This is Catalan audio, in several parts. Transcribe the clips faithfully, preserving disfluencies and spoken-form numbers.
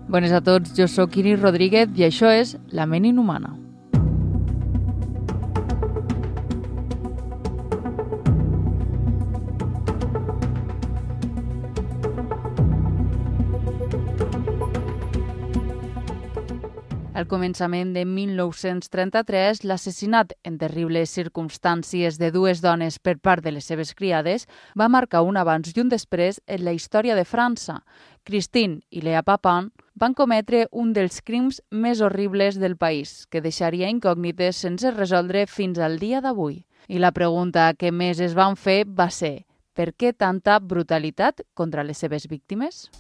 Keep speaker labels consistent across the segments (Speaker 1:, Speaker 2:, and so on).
Speaker 1: Bones a tots, jo sóc Iris Rodríguez i això és La ment inhumana. Al començament de mil nou-cents trenta-tres, l'assassinat en terribles circumstàncies de dues dones per part de les seves criades va marcar un abans i un després en la història de França. Christine i Léa Papin van cometre un dels crims més horribles del país, que deixaria incògnites sense resoldre fins al dia d'avui. I la pregunta que més es van fer va ser: per què tanta brutalitat contra les seves víctimes?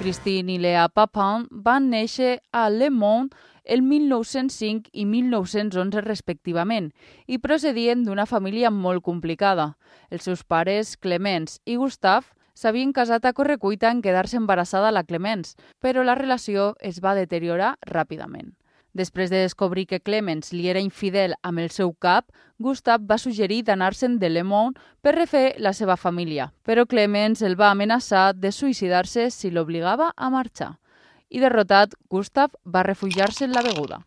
Speaker 1: Christine i Léa Papin van néixer a Le Mans el mil nou-cents cinc i mil nou-cents onze respectivament i procedien d'una família molt complicada. Els seus pares, Clemence i Gustave, s'havien casat a correcuita en quedar-se embarassada la Clemence, però la relació es va deteriorar ràpidament. Després de descobrir que Clemence li era infidel amb el seu cap, Gustave va suggerir d'anar-se'n de Le Mans per refer la seva família, però Clemence el va amenaçar de suïcidar-se si l'obligava a marxar. I derrotat, Gustave va refugiar-se en la beguda.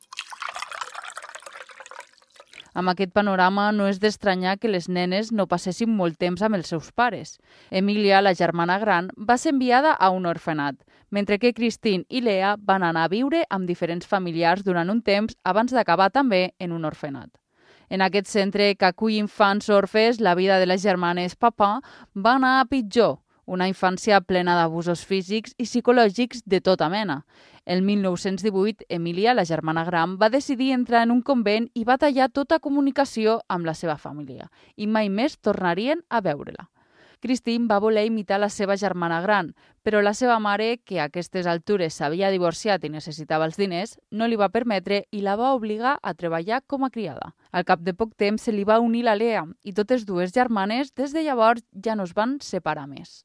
Speaker 1: Amb aquest panorama no és d'estranyar que les nenes no passessin molt temps amb els seus pares. Emilia, la germana gran, va ser enviada a un orfenat, mentre que Christine i Léa van anar a viure amb diferents familiars durant un temps abans d'acabar també en un orfenat. En aquest centre que acull infants orfes, la vida de les germanes Papin va anar a pitjor, una infància plena d'abusos físics i psicològics de tota mena. El mil nou-cents divuit, Emilia, la germana gran, va decidir entrar en un convent i va tallar tota comunicació amb la seva família, i mai més tornarien a veure-la. Christine va voler imitar la seva germana gran, però la seva mare, que a aquestes altures s'havia divorciat i necessitava els diners, no li va permetre i la va obligar a treballar com a criada. Al cap de poc temps se li va unir la Léa i totes dues germanes des de llavors ja no es van separar més.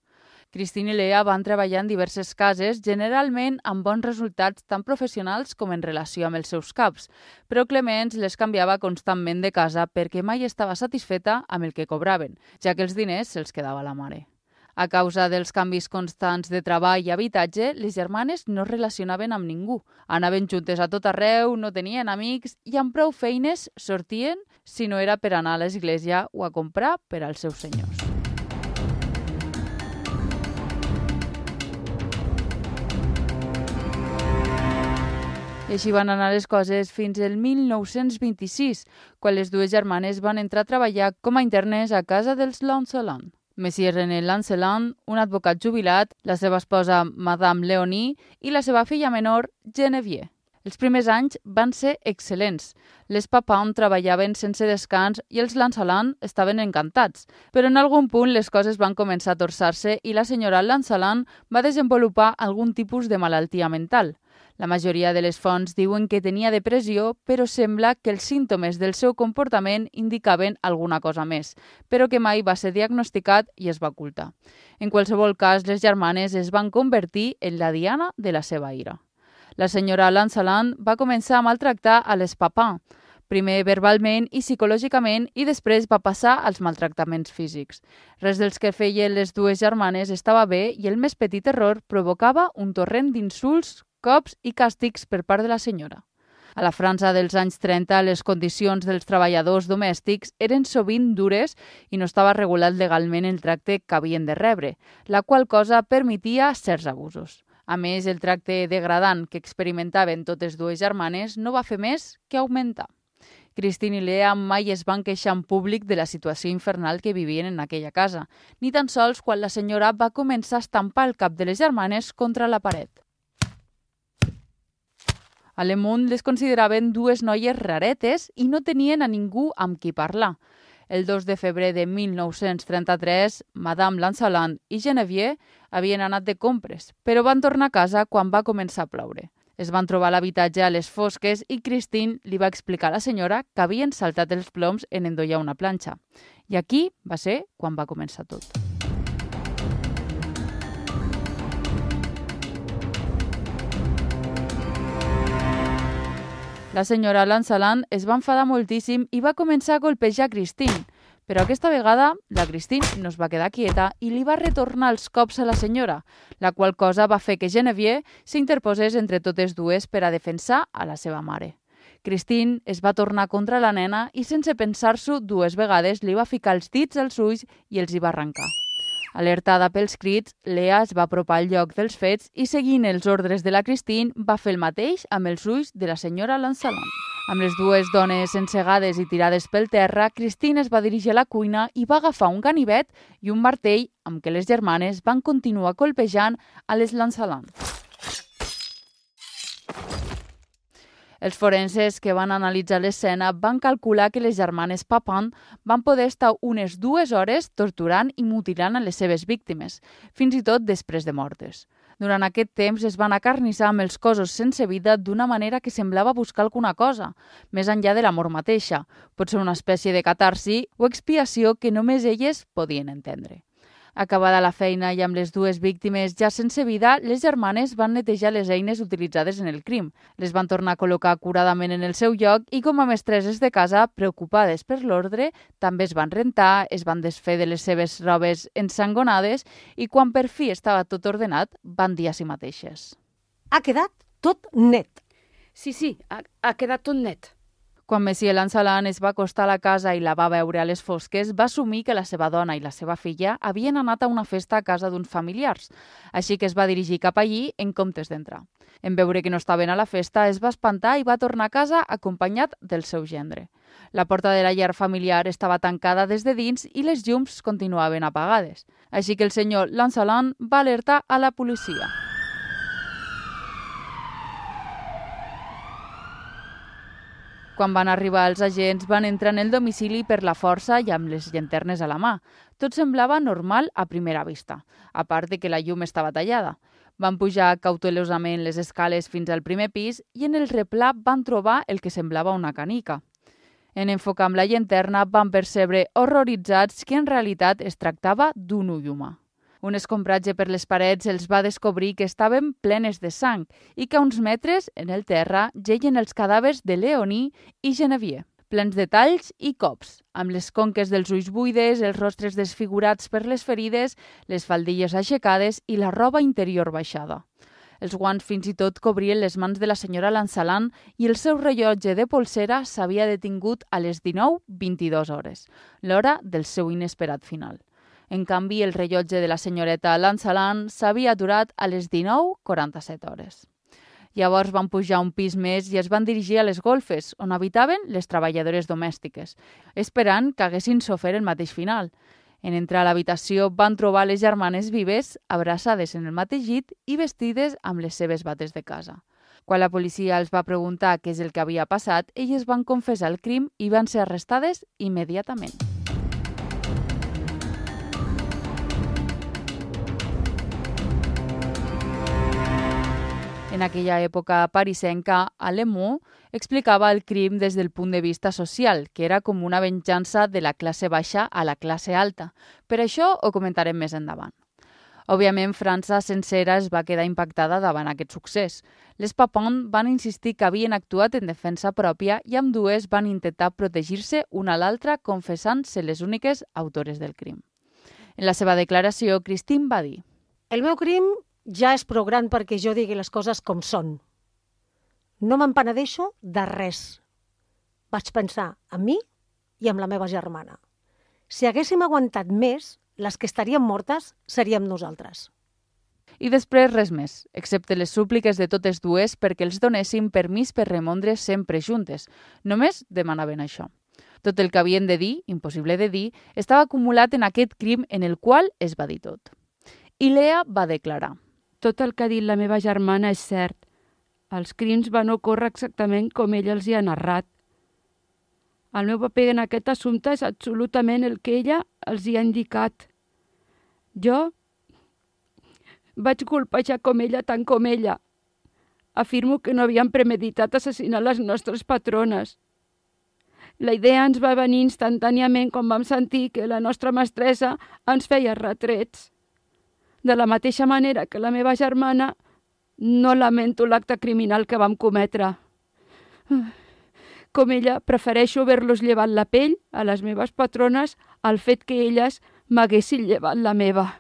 Speaker 1: Christine i Léa van treballar en diverses cases, generalment amb bons resultats tant professionals com en relació amb els seus caps, però Clemence les canviava constantment de casa perquè mai estava satisfeta amb el que cobraven, ja que els diners se'ls quedava la mare. A causa dels canvis constants de treball i habitatge, les germanes no es relacionaven amb ningú. Anaven juntes a tot arreu, no tenien amics i amb prou feines sortien si no era per anar a l'església o a comprar per als seus senyors. I així van anar les coses fins al mil nou-cents vint-i-sis, quan les dues germanes van entrar a treballar com a internes a casa dels Lancelin. Monsieur René Lancelin, un advocat jubilat, la seva esposa Madame Léonie i la seva filla menor, Geneviève. Els primers anys van ser excel·lents. Les Papin treballaven sense descans i els Lancelin estaven encantats, però en algun punt les coses van començar a torçar-se i la senyora Lancelin va desenvolupar algun tipus de malaltia mental. La majoria de les fonts diuen que tenia depressió, però sembla que els símptomes del seu comportament indicaven alguna cosa més, però que mai va ser diagnosticat i es va ocultar. En qualsevol cas, les germanes es van convertir en la diana de la seva ira. La senyora Lancelin va començar a maltractar a les Papin, primer verbalment i psicològicament, i després va passar als maltractaments físics. Res dels que feien les dues germanes estava bé i el més petit error provocava un torrent d'insults, cops i càstigs per part de la senyora. A la França dels anys trenta, les condicions dels treballadors domèstics eren sovint dures i no estava regulat legalment el tracte que havien de rebre, la qual cosa permetia certs abusos. A més, el tracte degradant que experimentaven totes dues germanes no va fer més que augmentar. Christine i Léa mai es van queixar en públic de la situació infernal que vivien en aquella casa, ni tan sols quan la senyora va començar a estampar el cap de les germanes contra la paret. A Le Monde les consideraven dues noies raretes i no tenien a ningú amb qui parlar. El dos de febrer de mil nou-cents trenta-tres, Madame Lancelin i Geneviève havien anat de compres, però van tornar a casa quan va començar a ploure. Es van trobar l'habitatge a les fosques i Christine li va explicar a la senyora que havien saltat els ploms en endollar una planxa. I aquí va ser quan va començar tot. La senyora Lancelin es va enfadar moltíssim i va començar a golpejar Christine, Però aquesta vegada la Christine no es va quedar quieta i li va retornar els cops a la senyora, la qual cosa va fer que Genevieve s'interposés entre totes dues per a defensar a la seva mare. Christine es va tornar contra la nena i sense pensar-s'ho dues vegades li va ficar els dits als ulls i els hi va arrencar. Alertada pels crits, Lea es va apropar al lloc dels fets i, seguint els ordres de la Christine, va fer el mateix amb els ulls de la senyora Lancelot. Amb les dues dones encegades i tirades pel terra, Christine es va dirigir a la cuina i va agafar un ganivet i un martell amb què les germanes van continuar colpejant a les Lancelot. Els forenses que van analitzar l'escena van calcular que les germanes Papin van poder estar unes dues hores torturant i mutilant a les seves víctimes, fins i tot després de mortes. Durant aquest temps es van acarnissar amb els cossos sense vida d'una manera que semblava buscar alguna cosa, més enllà de la mort mateixa, potser una espècie de catarsi o expiació que només elles podien entendre. Acabada la feina i amb les dues víctimes ja sense vida, les germanes van netejar les eines utilitzades en el crim. Les van tornar a col·locar acuradament en el seu lloc i, com a mestresses de casa, preocupades per l'ordre, també es van rentar, es van desfer de les seves robes ensangonades i, quan per fi estava tot ordenat, van dir a si mateixes:
Speaker 2: Ha quedat tot net.
Speaker 3: Sí, sí, ha, ha quedat tot net.
Speaker 1: Quan Monsieur Lancelot es va acostar a la casa i la va veure a les fosques, va assumir que la seva dona i la seva filla havien anat a una festa a casa d'uns familiars, així que es va dirigir cap allí en comptes d'entrar. En veure que no estaven a la festa, es va espantar i va tornar a casa acompanyat del seu gendre. La porta de la llar familiar estava tancada des de dins i les llums continuaven apagades, així que el senyor Lancelot va alertar a la policia. Quan van arribar els agents, van entrar en el domicili per la força i amb les llanternes a la mà. Tot semblava normal a primera vista, a part de que la llum estava tallada. Van pujar cautelosament les escales fins al primer pis i en el replà van trobar el que semblava una canica. En enfocar amb la llanterna van percebre horroritzats que en realitat es tractava d'un ull humà. Un escombratge per les parets els va descobrir que estaven plenes de sang i que a uns metres, en el terra, geien els cadàvers de Leonie i Genevieve, plens de talls i cops, amb les conques dels ulls buides, els rostres desfigurats per les ferides, les faldilles aixecades i la roba interior baixada. Els guants fins i tot cobrien les mans de la senyora Lancelot i el seu rellotge de polsera s'havia detingut a les dinou vint-i-dues hores, l'hora del seu inesperat final. En canvi, el rellotge de la senyoreta Lancelot s'havia aturat a les dinou quaranta-set hores. Llavors van pujar un pis més i es van dirigir a les golfes, on habitaven les treballadores domèstiques, esperant que haguessin sofert el mateix final. En entrar a l'habitació van trobar les germanes vives, abraçades en el mateix llit i vestides amb les seves bates de casa. Quan la policia els va preguntar què és el que havia passat, elles van confessar el crim i van ser arrestades immediatament. En aquella època parisenca, Alemó explicava el crim des del punt de vista social, que era com una venjança de la classe baixa a la classe alta. Per això ho comentarem més endavant. Òbviament, França sencera es va quedar impactada davant aquest succés. Les Papin van insistir que havien actuat en defensa pròpia i ambdues van intentar protegir-se una a l'altra confessant-se les úniques autores del crim. En la seva declaració, Christine va dir:
Speaker 2: El meu crim ja és prou gran perquè jo digui les coses com són. No m'empenedeixo de res. Vaig pensar en mi i amb la meva germana. Si haguéssim aguantat més, les que estaríem mortes seríem nosaltres.
Speaker 1: I després res més, excepte les súpliques de totes dues perquè els donessin permís per remondre sempre juntes. Només demanaven això. Tot el que havien de dir, impossible de dir, estava acumulat en aquest crim en el qual es va dir tot. I Lea va declarar:
Speaker 3: Tot el que ha dit la meva germana és cert. Els crims van ocórrer exactament com ella els hi ha narrat. El meu paper en aquest assumpte és absolutament el que ella els hi ha indicat. Jo vaig colpejar com ella tant com ella. Afirmo que no havíem premeditat assassinar les nostres patrones. La idea ens va venir instantàniament quan vam sentir que la nostra mestressa ens feia retrets. De la mateixa manera que la meva germana, no lamento l'acte criminal que vam cometre. Com ella, prefereixo haver-los llevat la pell a les meves patrones el fet que elles m'haguessin llevat la meva.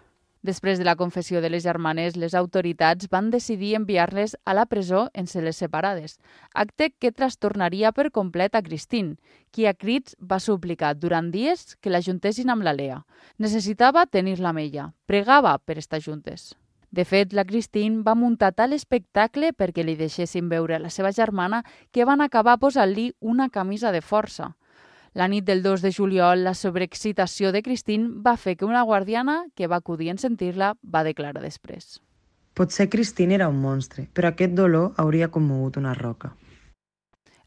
Speaker 1: Després de la confessió de les germanes, les autoritats van decidir enviar-les a la presó en cel·les separades, acte que trastornaria per complet a Christine, qui a crits va suplicar durant dies que la juntessin amb la Lea. Necessitava tenir-la amb ella, pregava per estar juntes. De fet, la Christine va muntar tal espectacle perquè li deixessin veure la seva germana que van acabar posant-li una camisa de força. La nit del dos de juliol, la sobreexcitació de Christine va fer que una guardiana, que va acudir en sentir-la, va declarar després.
Speaker 4: Potser Christine era un monstre, però aquest dolor hauria commogut una roca.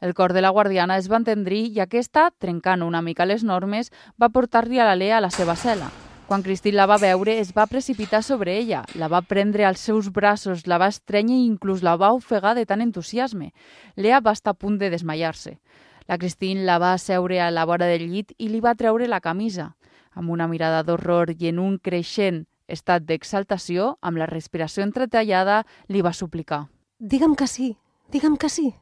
Speaker 1: El cor de la guardiana es va entendrir i aquesta, trencant una mica les normes, va portar-li a la Lea a la seva cel·la. Quan Christine la va veure, es va precipitar sobre ella, la va prendre als seus braços, la va estrènyer i inclús la va ofegar de tant entusiasme. Lea va estar a punt de desmaiar-se. La Christine la va asseure a la vora del llit i li va treure la camisa. Amb una mirada d'horror i en un creixent estat d'exaltació, amb la respiració entretallada, li va suplicar.
Speaker 2: Digue'm que sí, digue'm que sí.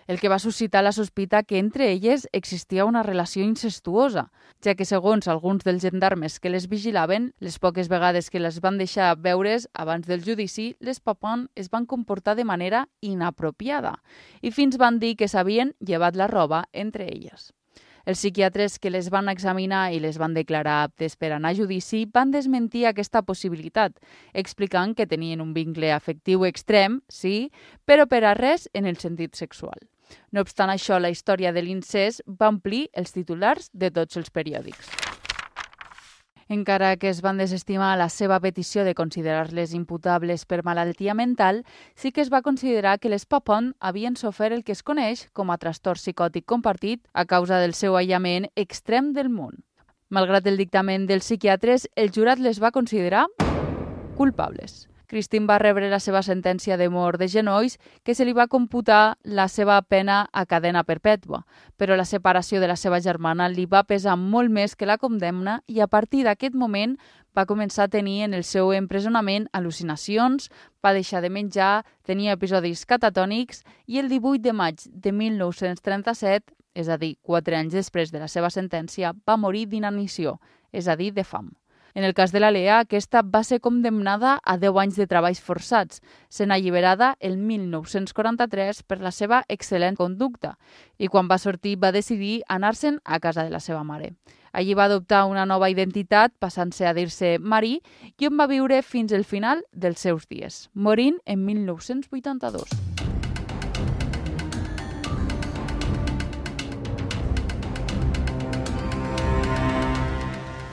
Speaker 1: El que va suscitar la sospita que entre elles existia una relació incestuosa, ja que segons alguns dels gendarmes que les vigilaven, les poques vegades que les van deixar veure's abans del judici, les Papin es van comportar de manera inapropiada i fins van dir que s'havien llevat la roba entre elles. Els psiquiatres que les van examinar i les van declarar aptes per anar a judici van desmentir aquesta possibilitat, explicant que tenien un vincle afectiu extrem, sí, però per a res en el sentit sexual. No obstant això, la història de l'incest va omplir els titulars de tots els periòdics. Encara que es van desestimar la seva petició de considerar-les imputables per malaltia mental, sí que es va considerar que les Papin havien sofert el que es coneix com a trastorn psicòtic compartit a causa del seu aïllament extrem del món. Malgrat el dictamen dels psiquiatres, el jurat les va considerar culpables. Christine va rebre la seva sentència de mort de genolls, que se li va computar la seva pena a cadena perpètua, però la separació de la seva germana li va pesar molt més que la condemna i a partir d'aquest moment va començar a tenir en el seu empresonament al·lucinacions, va deixar de menjar, tenia episodis catatònics i el divuit de maig de mil nou-cents trenta-set, és a dir, quatre anys després de la seva sentència, va morir d'inanició, és a dir, de fam. En el cas de la Lea, aquesta va ser condemnada a deu anys de treballs forçats, sent alliberada el mil nou-cents quaranta-tres per la seva excel·lent conducta i quan va sortir va decidir anar-se'n a casa de la seva mare. Allí va adoptar una nova identitat, passant-se a dir-se Marie, i on va viure fins al final dels seus dies, morint en mil nou-cents vuitanta-dos.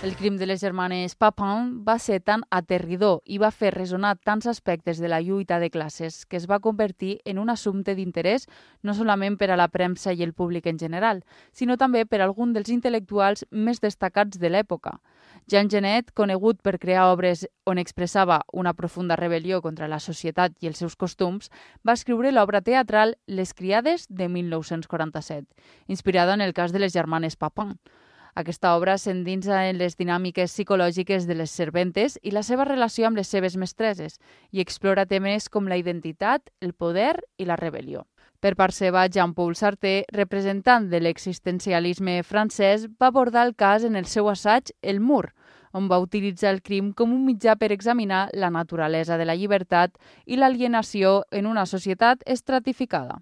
Speaker 1: El crim de les germanes Papin va ser tan aterridor i va fer resonar tants aspectes de la lluita de classes que es va convertir en un assumpte d'interès no solament per a la premsa i el públic en general, sinó també per a algun dels intel·lectuals més destacats de l'època. Jean Genet, conegut per crear obres on expressava una profunda rebel·lió contra la societat i els seus costums, va escriure l'obra teatral Les criades de mil nou-cents quaranta-set, inspirada en el cas de les germanes Papin. Aquesta obra s'endinsa en les dinàmiques psicològiques de les serventes i la seva relació amb les seves mestresses i explora temes com la identitat, el poder i la rebel·lió. Per part seva, Jean-Paul Sartre, representant de l'existencialisme francès, va abordar el cas en el seu assaig El mur, on va utilitzar el crim com un mitjà per examinar la naturalesa de la llibertat i l'alienació en una societat estratificada.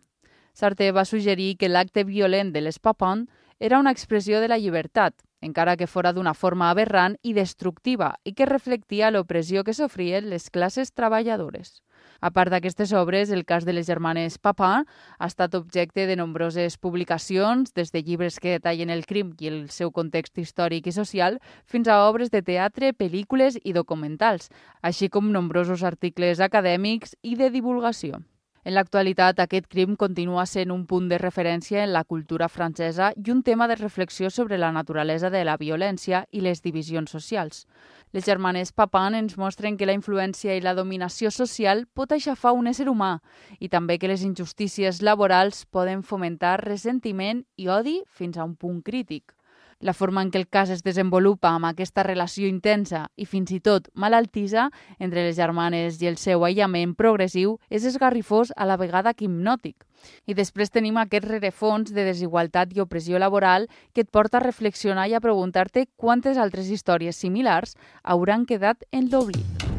Speaker 1: Sartre va suggerir que l'acte violent de les Papin era una expressió de la llibertat, encara que fora d'una forma aberrant i destructiva i que reflectia l'opressió que sofrien les classes treballadores. A part d'aquestes obres, el cas de les germanes Papin ha estat objecte de nombroses publicacions, des de llibres que detallen el crim i el seu context històric i social, fins a obres de teatre, pel·lícules i documentals, així com nombrosos articles acadèmics i de divulgació. En l'actualitat, aquest crim continua sent un punt de referència en la cultura francesa i un tema de reflexió sobre la naturalesa de la violència i les divisions socials. Les germanes Papin ens mostren que la influència i la dominació social pot aixafar un ésser humà i també que les injustícies laborals poden fomentar ressentiment i odi fins a un punt crític. La forma en què el cas es desenvolupa amb aquesta relació intensa i fins i tot malaltissa entre les germanes i el seu aïllament progressiu és esgarrifós a la vegada que hipnòtic. I després tenim aquest rerefons de desigualtat i opressió laboral que et porta a reflexionar i a preguntar-te quantes altres històries similars hauran quedat en l'oblit.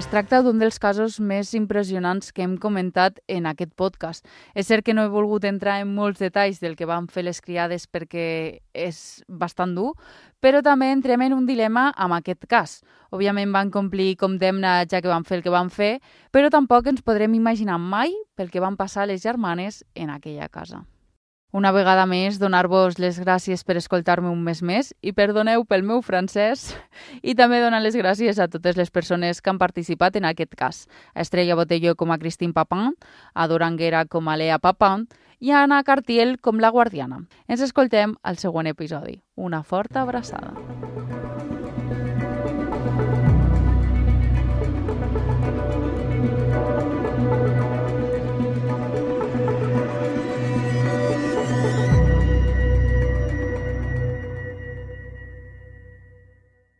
Speaker 1: Es tracta d'un dels casos més impressionants que hem comentat en aquest podcast. És cert que no he volgut entrar en molts detalls del que van fer les criades perquè és bastant dur, però també entrem en un dilema amb aquest cas. Òbviament van complir condemna ja que van fer el que van fer, però tampoc ens podrem imaginar mai pel que van passar les germanes en aquella casa. Una vegada més, donar-vos les gràcies per escoltar-me un mes més i perdoneu pel meu francès i també donar les gràcies a totes les persones que han participat en aquest cas. A Estrella Botello com a Christine Papin, a Duranguera com a Lea Papin i a Anna Cartiel com la guardiana. Ens escoltem al següent episodi. Una forta abraçada.